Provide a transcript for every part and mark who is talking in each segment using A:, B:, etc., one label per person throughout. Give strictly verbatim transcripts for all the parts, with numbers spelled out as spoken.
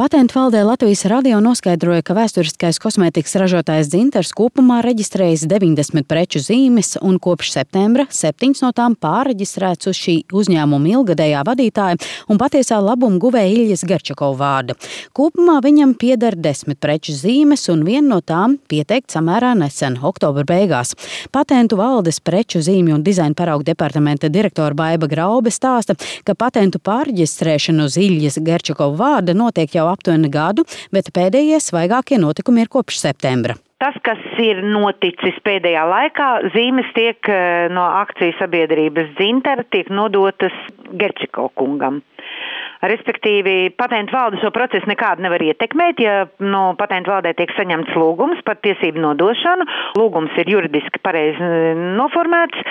A: Patentu valdē Latvijas radio noskaidroja, ka vēsturiskais kosmētikas ražotājs Dzintars kopumā reģistrējis deviņdesmit preču zīmes un kopš septembra septiņas no tām pārreģistrēts uz šī uzņēmuma ilgadējā vadītāja un patiesā labuma guvēja Iļjas Gerčakova vārda. Kopumā viņam pieder desmit preču zīmes un viena no tām pieteikta samērā nesen, oktobra beigās. Patentu valdes preču zīmju un dizaina paraugu departamenta direktora Baiba Graube stāsta, ka patentu pārreģistrēšana uz Iļjas Gerčakova vārda notiek jau aptuveni gadu, bet pēdējie svaigākie notikumi ir kopš septembra.
B: Tas, kas ir noticis pēdējā laikā, zīmes tiek no akciju sabiedrības Dzintara tiek nodotas Gerčakova kungam. Respektīvi, patentu valde šo procesu nekādu nevar ietekmēt, ja no patentu valdē tiek saņemts lūgums par tiesību nodošanu. Lūgums ir juridiski pareizi noformēts,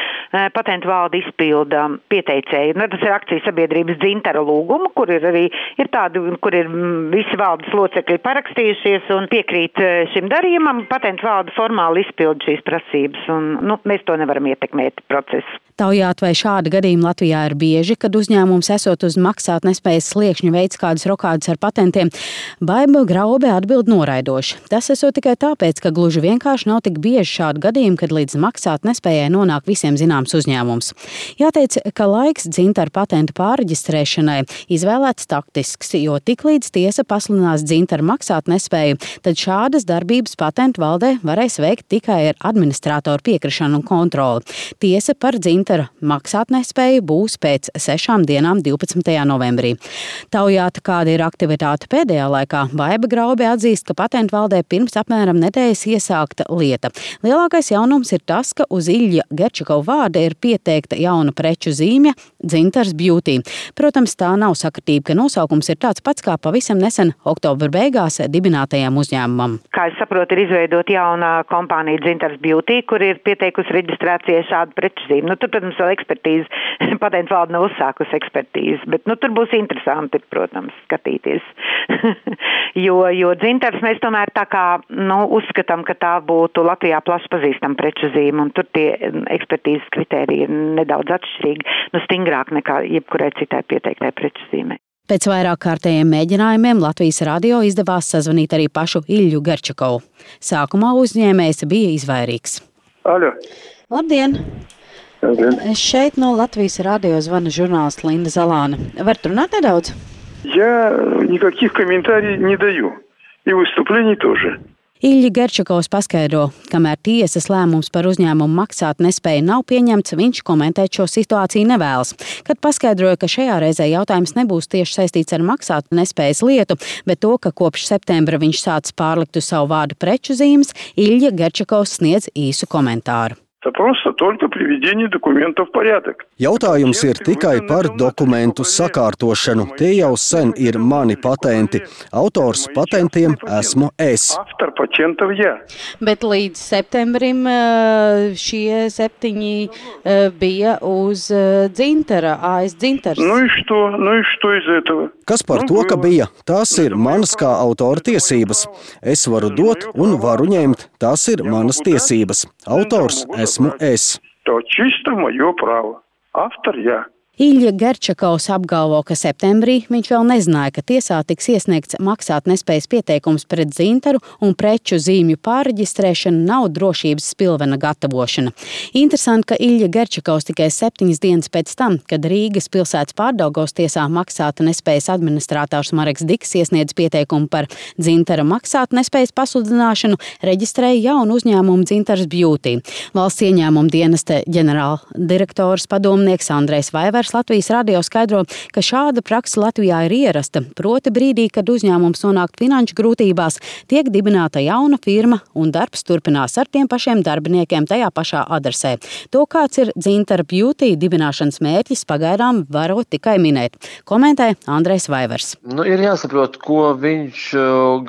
B: patentu valde izpilda pieteicēju. Nu, tas ir akciju sabiedrības Dzintara lūgumu, kur ir arī ir tādi, kur ir visi valdes locekļi parakstījušies un piekrīt šim darījumam. Patentu valde formāli izpilda šīs prasības un nu, mēs to nevaram ietekmēt procesu.
A: Taujāt, vai šādi gadījumi Latvijā ir bieži, kad uzņēmums esot uz maksāt nespējas sliekšņu veids kādas rokādas ar patentiem, Baiba Graube atbild noraidoši. Tas esot tikai tāpēc, ka gluži vienkārši nav tik bieži šādi gadījumi, kad līdz maksāt nespējai nonāk visiem zināms uzņēmums. Jāteic, ka laiks Dzintara patentu pārreģistrēšanai izvēlēts taktisks, jo tiklīdz tiesa pasludinās Dzintara maksāt nespēju, tad šādas darbības patentu valdē varēs veikt tikai ar administratoru piekrišanu un kontroli. Tiesa par Dzintara maksātnespēju būs pēc sešām dienām divpadsmitajā novembrī. Taujāta, kāda ir aktivitāte pēdējā laikā, Baiba Graube atzīst, ka patentu valdē pirms apmēram nedēļas iesākta lieta. Lielākais jaunums ir tas, ka uz Iļja Gerčakova vārda ir pieteikta jauna preču zīme Dzintars Beauty. Protams, tā nav sakritība, ka nosaukums ir tāds pats kā pavisam nesen oktobra beigās dibinātajam uzņēmumam.
B: Kā es saprotu, ir izveidot jauna kompānija Dzintars Beauty, kur ir pieteikusi reģistrācijai šādu preču zīmi. Nu, tur, protams, vēl ekspertīze, patentu valde nav uzsākusi ekspertīzi, bet nu, tur būs interesanti, protams, skatīties. jo, jo Dzintars mēs tomēr tā kā nu, uzskatām, ka tā būtu Latvijā plaši pazīstama preču zīme, un tur tie ekspertīzes kritēriji ir nedaudz atšķirīgi, nu stingrāk nekā jebkurai citai pieteiktai preču zīmei.
A: Pēc vairāk kārtējiem mēģinājumiem Latvijas radio izdevās sazvanīt arī pašu Iļju Gerčakovu. Sākumā uzņēmējs bija izvairīgs.
C: Aļo.
A: Labdien!
C: Labdien!
A: Šeit no Latvijas radio zvana žurnālists Linda Zalāne. Varat runāt nedaudz?
C: Я никаких комментариев не даю. И выступлений тоже.
A: Iļja Gerčakovs paskaidro, kamēr tiesas lēmums par uzņēmumu maksāt nespēju nav pieņemts, viņš komentēt šo situāciju nevēlas. Kad paskaidroja, ka šajā reizē jautājums nebūs tieši saistīts ar maksāt nespējas lietu, bet to, ka kopš septembra viņš sācis pārlikt uz savu vārdu preču zīmes, Iļja Gerčakovs sniedz īsu komentāru.
C: Это просто только приведение документов в порядок.
D: Jautājums ir tikai par dokumentu sakārtošanu. Tie jau sen ir mani patenti. Autors patentiem esmu es.
C: Автор патентов я.
A: Bet līdz septembrim šie septiņi bija uz Dzintara, A S Dzintars.
C: Ну и что? Ну и что из этого?
D: Kas par to, ka bija? Tās ir manas kā autora tiesības. Es varu dot un varu ņemt. Tās ir manas tiesības. Autors esmu es.
C: То чисто мое право. Автор я.
A: Iļja Gerčakovs apgalvo, ka septembrī viņš vēl nezināja, ka tiesā tiks iesniegts maksāt nespējas pieteikums pret Dzintaru un preču zīmju pārreģistrēšana nav drošības spilvena gatavošana. Interesanti, ka Iļja Gerčakovs tikai septiņas dienas pēc tam, kad Rīgas pilsētas Pārdaugavas tiesā maksāta nespējas administrators Mareks Diks iesniedz pieteikumu par Dzintara maksāt nespējas pasludināšanu, reģistrēja jaunu uzņēmumu Dzintars Beauty. Valsts ieņēmuma dienesta ģenerāldirektors padomnieks Andrejs Vaivers Latvijas radio skaidro, ka šāda praksa Latvijā ir ierasta, proti brīdī, kad uzņēmums nonāk finanšu grūtībās, tiek dibināta jauna firma un darbs turpinās ar tiem pašiem darbiniekiem tajā pašā adresē. To, kāds ir Dzintara Beauty dibināšanas mērķis, pagaidām varot tikai minēt. Komentē Andrejs Vaivers.
E: Nu, ir jāsaprot, ko viņš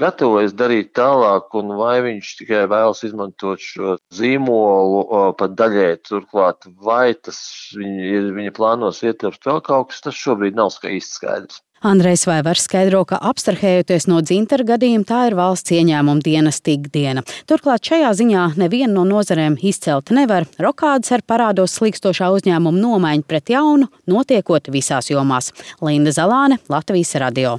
E: gatavojas darīt tālāk un vai viņš tikai vēlas izmantot šo zīmolu pat daļai turklāt, vai tas viņa, ir, viņa plānos ietilpst vēl kaut kas, tas šobrīd nav īsti skaidrs.
A: Andrejs Vaivers skaidro, ka abstrahējoties no Dzintara gadījuma, tā ir valsts ieņēmuma dienesta ikdiena. Turklāt šajā ziņā neviena no nozarēm izcelt nevar. Rokādes ar parādos slīkstošā uzņēmuma nomaiņu pret jaunu notiekot visās jomās. Linda Zalāne, Latvijas radio.